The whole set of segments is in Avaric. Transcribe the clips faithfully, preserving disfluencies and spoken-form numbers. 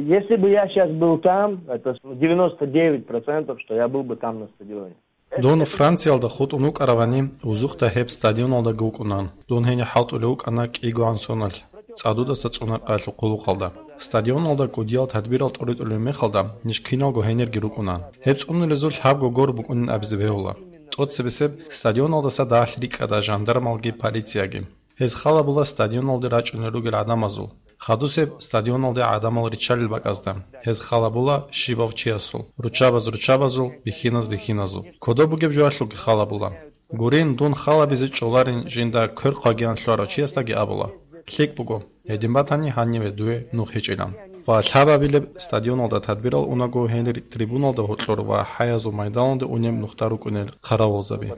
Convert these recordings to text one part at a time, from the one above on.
Если бы я сейчас был там, это девяносто девять процентов, что я был бы там на стадионе. Дун Франциялда хутӀун вукӀаравани, узухъда гьеб стадионалдаги вукӀунан. Дун гьенир хӀалтӀулев вукӀана кӀигогӀан соналъ, цӀадудаса цӀунаркъаялъул хъулухъалда. Стадионалда кӀудиял тадбирал тӀоритӀулеб мехалда, ниж киналго гьенирги рукӀунан. Гьеб цӀунулезул лъабго гор букӀунин абизе бегьула. ТӀоцебесеб стадионалдаса дагьалъ рикӀкӀада жандармалги полицияги. Гьез хал гьабула стадионалде рачӀунел ругел гӀадамазул. Хадусеб стадионалде гӀадамал риччалел бакӀазда. Гьез хал гьабула щибав чиясул, руччабаз руччабазул, бихьиназ бихьиназул. Кодоб бугеб жоялъулги хал гьабула. Гурин, дун хал гьабизе чӀоларин жинда квер хъвагиян лъугьарав чиясдаги абула: «ЛъикӀ буго, гьедин батани, гьаниве дуе нух гьечӀилан». Ва лъабабилеб стадионалда тадбирал унаго гьенир трибуналда гьоркьор ва хӀаязул майданалде унеб нухда рукӀунел хъаравулзаби.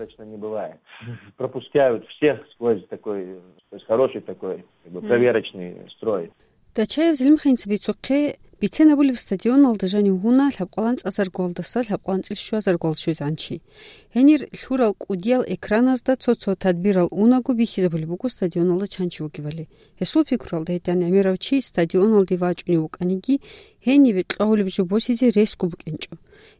Пропускают всех сквозь такой, то есть хороший такой, как бы, проверочный строй. Дачаев Зелимханца бицухъе, бицен абулеб стадионалда жанив гьуна лъабкъалан цӀазаргуалдаса лъабкъалан цӀилъ щуазаргуал щвезегӀан чи. Гьенир лъурал кӀудиял экраназда цо-цо тадбирал унаго бихьизабулеб буго стадионалда чан чи вугевали. Гьесул пикруялда гьедин гӀемерав чи стадионалде вачӀунев вукӀаниги, гьениве кьвагьулеб жо босизе ресго букӀинчӀо.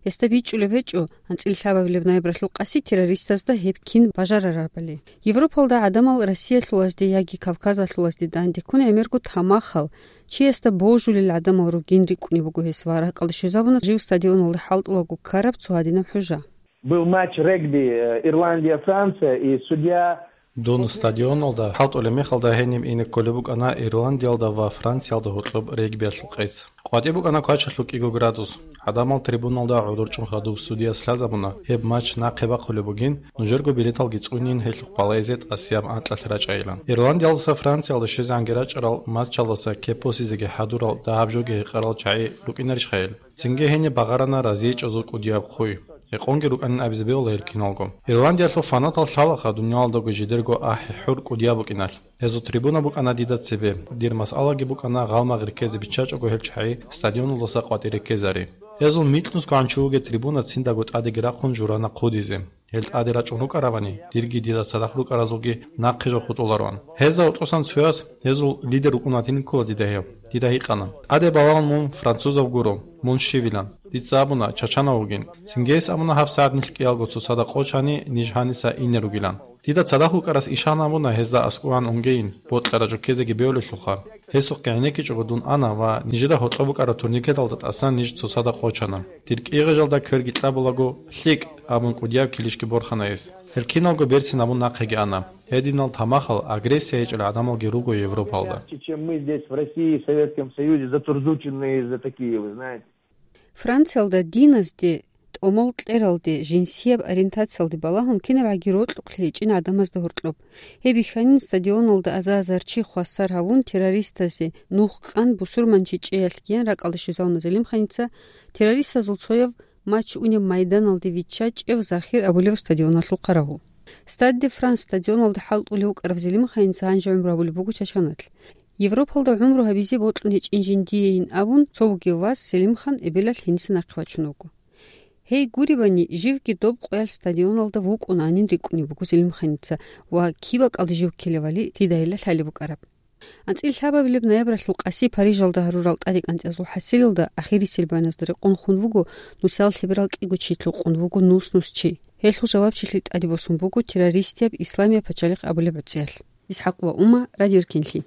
Гьесда бичӀчӀулеб гьечӀо, анцӀила лъабабилеб ноябралъул къаси террористазда гьеб кин бажарарабали. Европалда гӀадамал Россиялъулазде яги Кавказалъулазде дандеккун гӀемерго тамахал, чиясда божулел гӀадамал ругин рикӀкӀунеб буго гьес ва ракӀалде щвезабуна жив стадионалда хӀалтӀулаго ккараб цо гьадинаб хӀужа. Был матч регби, э, Ирландия-Франция, и судья Дун стадионалда хӀалтӀулеб мехалда гьениб ине кколеб букӀана Ирландиялда ва Франциялда гьоркьоб регбиялъул къец. КъватӀиб букӀана квачалъул кӀиго градус. ГӀадамал трибуналда гӀодор чӀун хадуб судияс лъазабуна, гьеб матч нахъе бахъулеб бугин, нужерго билеталги цӀунин, гьелъухъ балагьизе тӀасияб анкьалъ рачӀайилан. Ирландиялдаса Франциялда щвезегӀанги рачӀарал матчалдаса кеп босизеги хӀадурал дагьаб жоги гьекъарал чагӀи рукӀинарищха гьел? Цинги гьениб багъарана разиечӀезул кӀудияб хъуй. Гьекъонги рукӀанин абизе бегьула гьел киналго. Ирландиялъул фанатал лъалаха дуниялалдаго жидерго ахӀи-хӀур кӀудияб букӀиналъ. Гьезул трибуна букӀана дида цебе. Дир масъалаги букӀана гъалмагъ реккезе биччачӀого гьел чагӀи стадионалдаса къватӀир реккезари. Гьезул микьнусго гӀанчо вугеб трибуна циндаго тӀадеги рахъун журана хъудизе. Гьел тӀаде рачӀун рукӀаравани, дирги дида цадахъ рукӀаразулги нахъе жо хутӀулароан. Гьезда гьоркьосан цояс, гьезул лидер вукӀун ватинин ккола дида гьев, дида гьикъана: «ТӀаде балагьун мун французав гуро, мун щивилан. Дица абуна, чачанав вугин. Цинги гьес абуна, гьабсагӀат нилъ кӀиялго цоцазда къо чани, ниж гьаниса ине ругилан. Дида цадахъ вукӀарас ишан абуна гьезда аскӀован унгейин, бокьараб жо ккезеги бегьулелъулха. Гьесухъе гӀенеккичӀого дун ана ва нижеда гьоркьоб букӀараб турникеталда тӀасан ниж цоцазда къо чана. Дир кӀигъижалда кверги кьабулаго, лъикӀ», — абун кӀудияб килищги борхана гьес. Гьел киналго берцин абун нахъеги ана. Гьединал тамахал, агрессия гьечӀел гӀадамалги руго Европалда. Чем мы здесь в России, в Советском Союзе, затурзученные из-за такие, вы знаете. Франциялда диназде, тӀомал кьералде, жинсияб ориентациялде балагьун кинабгӀаги рокьукълъи гьечӀин гӀадамазда гьоркьоб. Гьеб бихьанин стадионалда аза-азар чи хвасар гьавун террористазе нух къан бусурманчи чӀеялъ киян ракӀалде щвезавуна Зелимханица, террористазул цояв матч унеб майданалде виччачӀев Захир абулев стадионалъул хъаравул. Стад де Франс стадионалда хӀалтӀулев вукӀарав Зелимханица гьанже гӀумру гьабулеб буго Чачаналъ. Европалда гӀумру гьабизе бокьун гьечӀин жиндиейин абун, цо вугев вас Селимхан эбелалъ гьениса нахъе вачун вуго. Гьей гуребани, живги доб къоялъ стадионалда вукӀунанин рикӀкӀунеб буго Селимханица ва киб бакӀалде жив ккелевали дида гьелда лъалеб букӀараб. АнцӀила лъабабилеб ноябралъул къаси Парижалда гьарурал тӀадекӀанцӀазул хӀасилалда ахирисел байназда рекъон хун вуго нусал лъеберал кӀиго чи, лъукъун вуго нус-нус чи. Гьелъул жавабчилъи тӀаде босун буго террористияб Исламияб пачалихъ абулеб гӀуцӀиялъ. Исхьакъ ва Ума, Радио Эркенлъи.